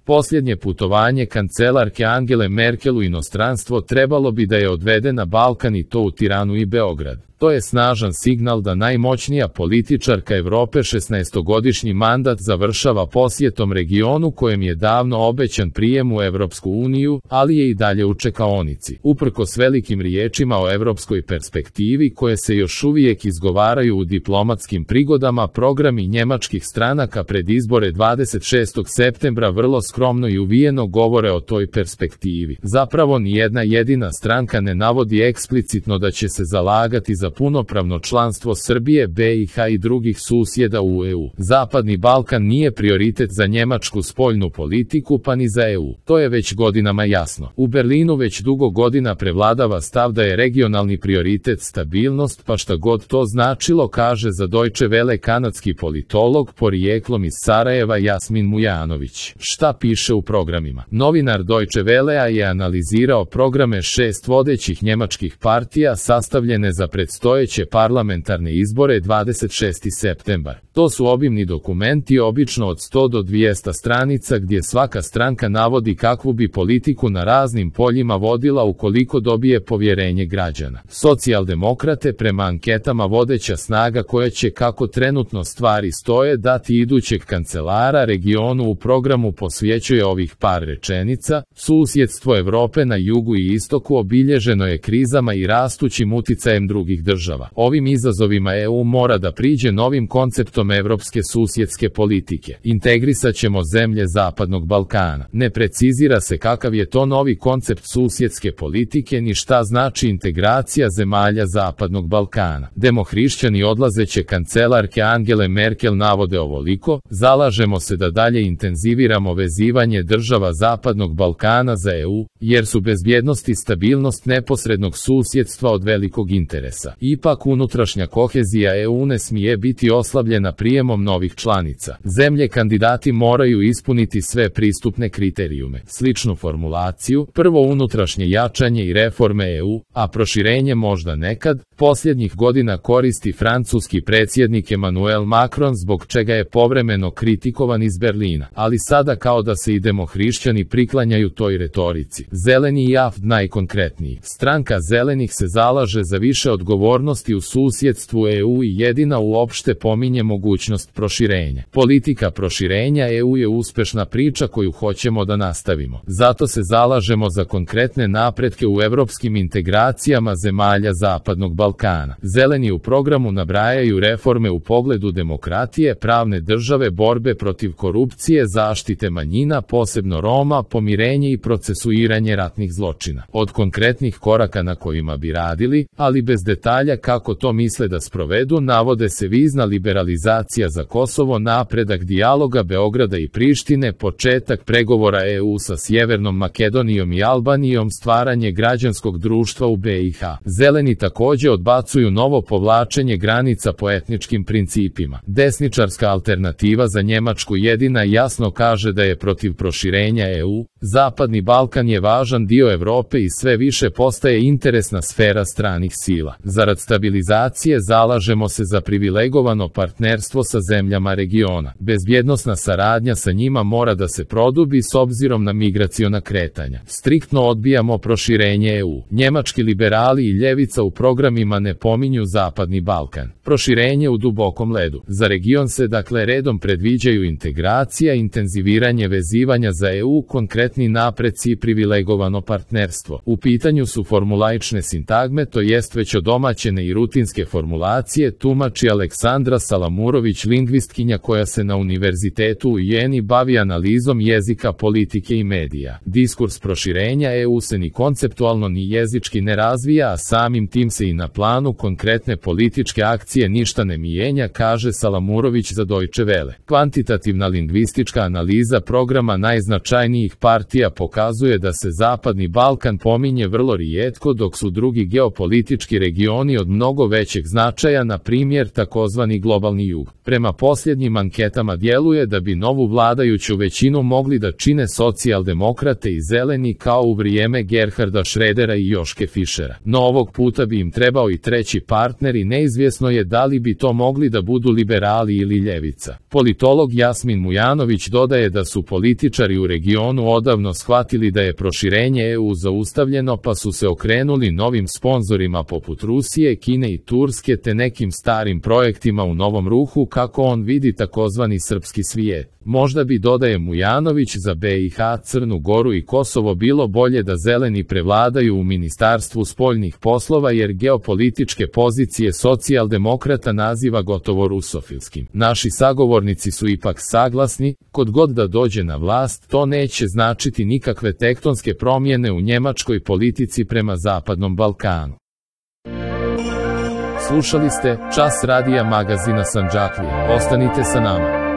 Posljednje putovanje kancelarke Angele Merkel u inostranstvo trebalo bi da je odvede na Balkan i to u Tiranu i Beograd. To je snažan signal da najmoćnija političarka Evrope 16-godišnji mandat završava posjetom regionu kojem je davno obećan prijem u Evropsku uniju, ali je i dalje u čekaonici. Uprkos velikim riječima o evropskoj perspektivi koje se još uvijek izgovaraju u diplomatskim prigodama, programi njemačkih stranaka pred izbore 26. septembra vrlo skromno i uvijeno govore o toj perspektivi. Zapravo nijedna jedina stranka ne navodi eksplicitno da će se zalagati za punopravno članstvo Srbije, BiH i drugih susjeda u EU. Zapadni Balkan nije prioritet za njemačku spoljnu politiku pa ni za EU. To je već godinama jasno. U Berlinu već dugo godina prevladava stav da je regionalni prioritet stabilnost, pa šta god to značilo, kaže za Deutsche Welle kanadski politolog porijeklom iz Sarajeva Jasmin Mujanović. Šta piše u programima? Novinar Deutsche Wellea je analizirao programe 6 vodećih njemačkih partija sastavljene za predstojeće parlamentarne izbore 26. septembar. To su obimni dokumenti, obično od 100 do 200 stranica, gdje svaka stranka navodi kakvu bi politiku na raznim poljima vodila ukoliko dobije povjerenje građana. Socijaldemokrate prema anketama vodeća snaga koja će, kako trenutno stvari stoje, dati idućeg kancelara regionu. U programu posvećuje ovih par rečenica: susjedstvo Evrope na jugu i istoku obilježeno je krizama i rastućim uticajem drugih država. Ovim izazovima EU mora da priđe novim konceptom evropske susjedske politike. Integrisat ćemo zemlje Zapadnog Balkana. Ne precizira se kakav je to novi koncept susjedske politike ni šta znači integracija zemalja Zapadnog Balkana. Demohrišćani odlazeće kancelarke Angele Merkel navode ovoliko: zalažemo se da dalje intenziviramo vezivanje država Zapadnog Balkana za EU, jer su bezbjednost i stabilnost neposrednog susjedstva od velikog interesa. Ipak unutrašnja kohezija EU ne smije biti oslabljena prijemom novih članica. Zemlje kandidati moraju ispuniti sve pristupne kriterijume. Sličnu formulaciju, prvo unutrašnje jačanje i reforme EU, a proširenje možda nekad, posljednjih godina koristi francuski predsjednik Emmanuel Macron, zbog čega je povremeno kritikovan iz Berlina. Ali sada kao da se i demohrišćani priklanjaju toj retorici. Zeleni i AfD najkonkretniji. Stranka zelenih se zalaže za više odgovornosti u susjedstvu EU i jedina uopšte pominje mogućnost proširenja. Politika proširenja EU je uspešna priča koju hoćemo da nastavimo. Zato se zalažemo za konkretne napretke u evropskim integracijama zemalja Zapadnog Balkana. Zeleni u programu nabrajaju reforme u pogledu demokratije, pravne države, borbe protiv korupcije, zaštite manjina, posebno Roma, pomirenje i procesuiranje ratnih zločina. Od konkretnih koraka na kojima bi radili, ali bez detalja kako to misle da sprovedu, navode se vizna liberalizacija za Kosovo, napredak dijaloga Beograda i Prištine, početak pregovora EU sa Sjevernom Makedonijom i Albanijom, stvaranje građanskog društva u BiH. Zeleni također odbacuju novo povlačenje granica po etničkim principima. Desničarska alternativa za Njemačku jedina jasno kaže da je protiv proširenja EU. Zapadni Balkan je važan dio Evrope i sve više postaje interesna sfera stranih sila. Zarad stabilizacije zalažemo se za privilegovano partnerstvo sa zemljama regiona. Bezbjednosna saradnja sa njima mora da se produbi s obzirom na migraciona kretanja. Striktno odbijamo proširenje EU. Njemački liberali i ljevica u programima ne pominju Zapadni Balkan. Proširenje u dubokom ledu. Za region se dakle redom predviđaju integracija, intenziviranje vezivanja za EU, konkretni napreci i privilegovano partnerstvo. U pitanju su formulaične sintagme, to jest već odomaćene i rutinske formulacije, tumači Aleksandra Salamurović, lingvistkinja koja se na univerzitetu u Jeni bavi analizom jezika, politike i medija. Diskurs proširenja EU se ni konceptualno ni jezički ne razvija, a samim tim se i na planu konkretne političke akcije ništa ne mijenja, kaže Salamurović za Deutsche Welle. Kvantitativna lingvistička analiza programa najznačajnijih partija pokazuje da se Zapadni Balkan pominje vrlo rijetko, dok su drugi geopolitički regioni regioni od mnogo većeg značaja, na primjer takozvani globalni jug. Prema posljednjim anketama djeluje da bi novu vladajuću većinu mogli da čine socijaldemokrate i zeleni kao u vrijeme Gerharda Schrödera i Joške Fischera. No ovog puta bi im trebao i treći partner i neizvjesno je da li bi to mogli da budu liberali ili ljevica. Politolog Jasmin Mujanović dodaje da su političari u regionu odavno shvatili da je proširenje EU zaustavljeno, pa su se okrenuli novim sponzorima poput Rusije, Kine i Turske te nekim starim projektima u novom ruhu, kako on vidi takozvani srpski svijet. Možda bi, dodaje Mujanović, za BiH, Crnu Goru i Kosovo bilo bolje da zeleni prevladaju u Ministarstvu spoljnih poslova, jer geopolitičke pozicije socijaldemokrata naziva gotovo rusofilskim. Naši sagovornici su ipak saglasni, kod god da dođe na vlast, to neće značiti nikakve tektonske promjene u njemačkoj politici prema Zapadnom Balkanu. Slušali ste Čas radija magazina Sandžaklija. Ostanite sa nama.